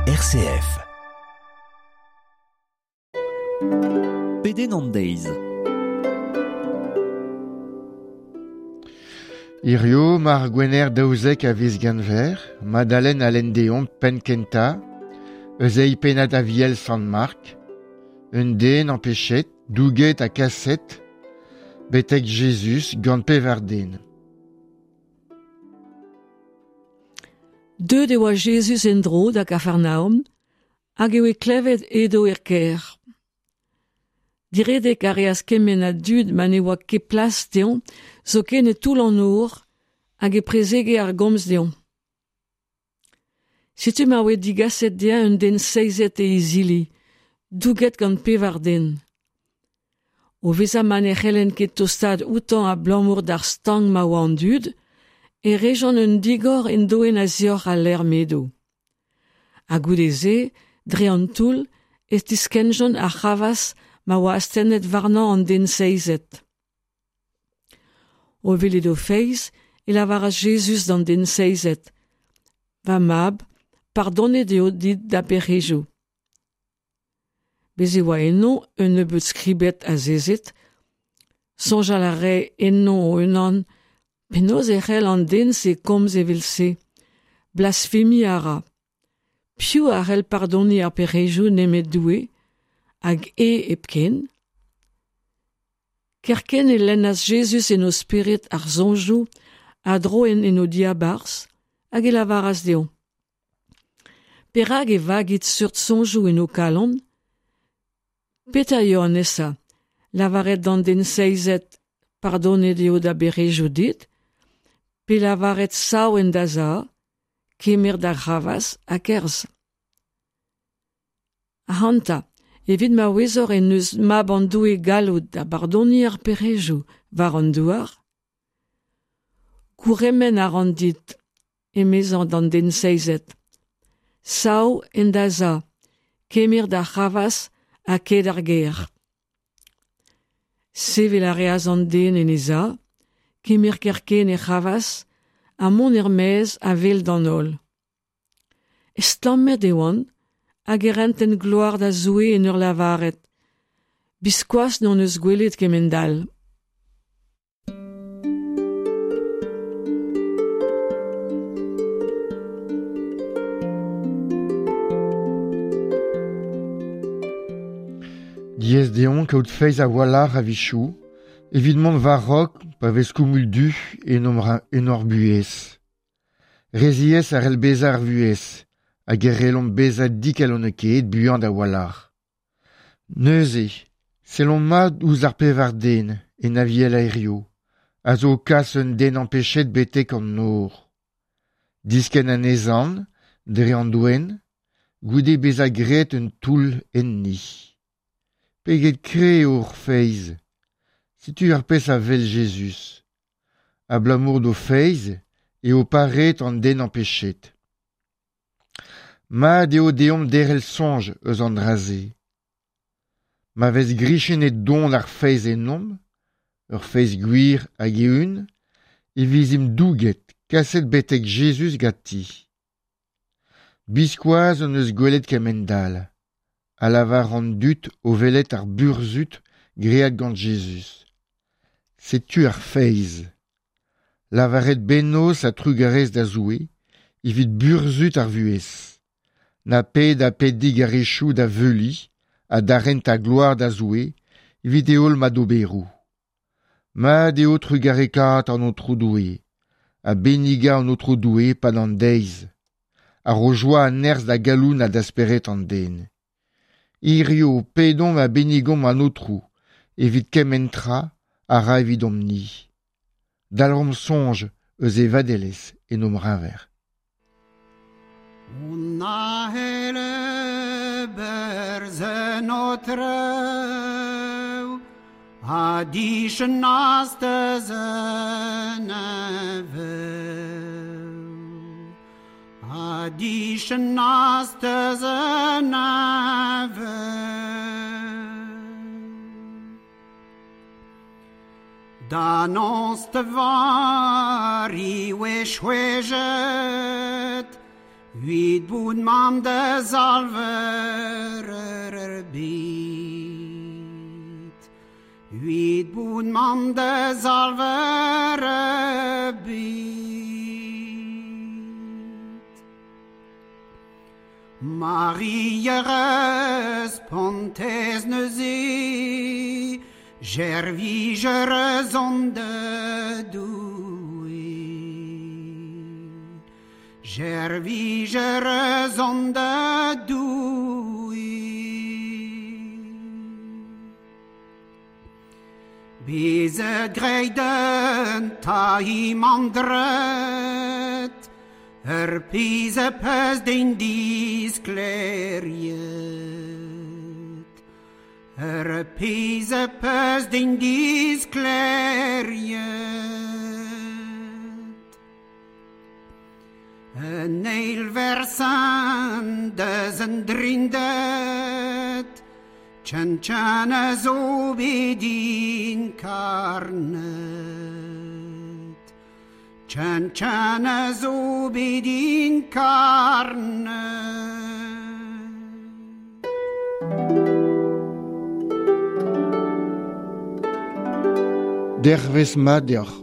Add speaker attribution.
Speaker 1: RCF.
Speaker 2: Pedenn an deiz.
Speaker 3: Hirio, mar gwener daouzek a viz Genver, Madalen a lenn deomp penn kentañ eus eil pennad Aviel Sant Mark, un den ampechet, douget ha kaset, betek Jezuz gant pevar den.
Speaker 4: Deuet e oa Jezuz en-dro da Gafarnaom hag e oe klevet edo er kêr. Diredek a reas kement a dud ma ne oa ket plas dezhañ zoken e toull an nor hag e prezege ar gomz dezhañ. Setu ma oe digaset dezhañ un den seizet e izili, douget gant pevar den. O vezañ ma ne c'hellent ket tostaat outañ abalamour d'ar stank ma oa an dud, e rejont un digor en doenn a-zioc'h al lec'h m'edo. Ha goude-se, dre an toull, e tiskennjont ar c'hravazh ma oa astennet warnañ an den seizet. O welet o feiz e lavaras Jezuz d'an den seizet: Va mab, pardonet eo dit da bec'hedoù. Bez' e oa eno un nebeud skribed azezet, soñjal a rae enno o-unan penaos e c'hell an den-se komz evel-se, blasfemiñ a ra. Piv a c'hell pardoniñ ar pec'hedoù nemet Doue, hag eñ hepken? Kerkent e lennas Jezuz en o spered ar soñjoù a droent en o diabarzh hag e lavaras dezho: Perak e vagit seurt soñjoù en ho kalon? Petra eo an nesañ? Lavaret d'an den seizet pardonet eo da bec'hedoù dit, pe lavaret sav en da za, kemer da c'hravazh ha kerzh. Ac'hanta, evit ma ouezoc'h en deus Mab an Doue galloud da bardoniñ ar pec'hedoù war an douar, gourc'hemenn a ran dit, emezañ d'an den seizet, sav en da za, kemer da c'hravazh ha kae d'ar gêr. Sevel a reas an den en e za, kemer kerkent e c'hravazh ha mont er-maez a-wel d'an holl. Estlammet e oant hag e rentent gloar da Zoue en ur lavaret: Biskoazh n'hon eus gwelet kement-all.
Speaker 3: Diaes deomp kaout feiz a-walc'h a-wechoù evit mont war-raok pa vez koumoul du en hor buhez. Re ziaes a c'hell bezañ ar vuhez hag e c'hellomp bezañ dikalonekaet buan a-walc'h. Neuze, sellomp mat ouzh ar pevar den en Aviel hiziv a zo o kas un den ampechet betek an nor. Diskenn anezhañ dre an doenn goude bezañ graet un toull enni. Pegen kreñv eo hor feiz! Setu ar pezh a wel Jezuz. Abalamour d'o feiz eo pareet an den ampechet. Mat eo deomp derc'hel soñj eus an dra-se. Ma vez grichennet don ar feiz ennomp, ur feiz gwir hag eeun, e vezimp douget, kaset betek Jezuz ganti. Biskoazh hon eus gwelet kement-all, a lavar an dud o welet ar burzhud graet gant Jezuz. Setu ar feiz. Lavaret bennozh ha trugarez da Zoue evit burzhud ar vuhez. Na ped ha ped digarezioù da veuliñ ha da rentañ gloar da Zoue evit e holl madoberoù. Mat eo trugarekaat an Aotrou Doue ha bennigañ an Aotrou Doue e-pad an deiz, a ro joa ha nerzh da galon ha da spered an den. Hiziv pedomp ha bennigomp an Aotrou evit kement tra a ra evidomp-ni. Dalc'homp soñj eus e vadelezh en hom c'heñver.
Speaker 5: On ahele berz en o treu a dichen astez en eveu a dichen astez en eveu Da noz te vari oe chwejet Wit bout mam de zalver er bit. Wit bout mam de zalver er bit. Marie respontez neuze, Jervijer zon de Doue. Jervijer zon de Doue. Bezet greiden ta im andret, Ur piz a peus din disklêriet. Ur piz a peus din disklêriet. Un eil versan deus an drindet, Tchan a zo bet inkarnet. Chan chan a zo bet inkarnet.
Speaker 3: Dervez mat deoc'h.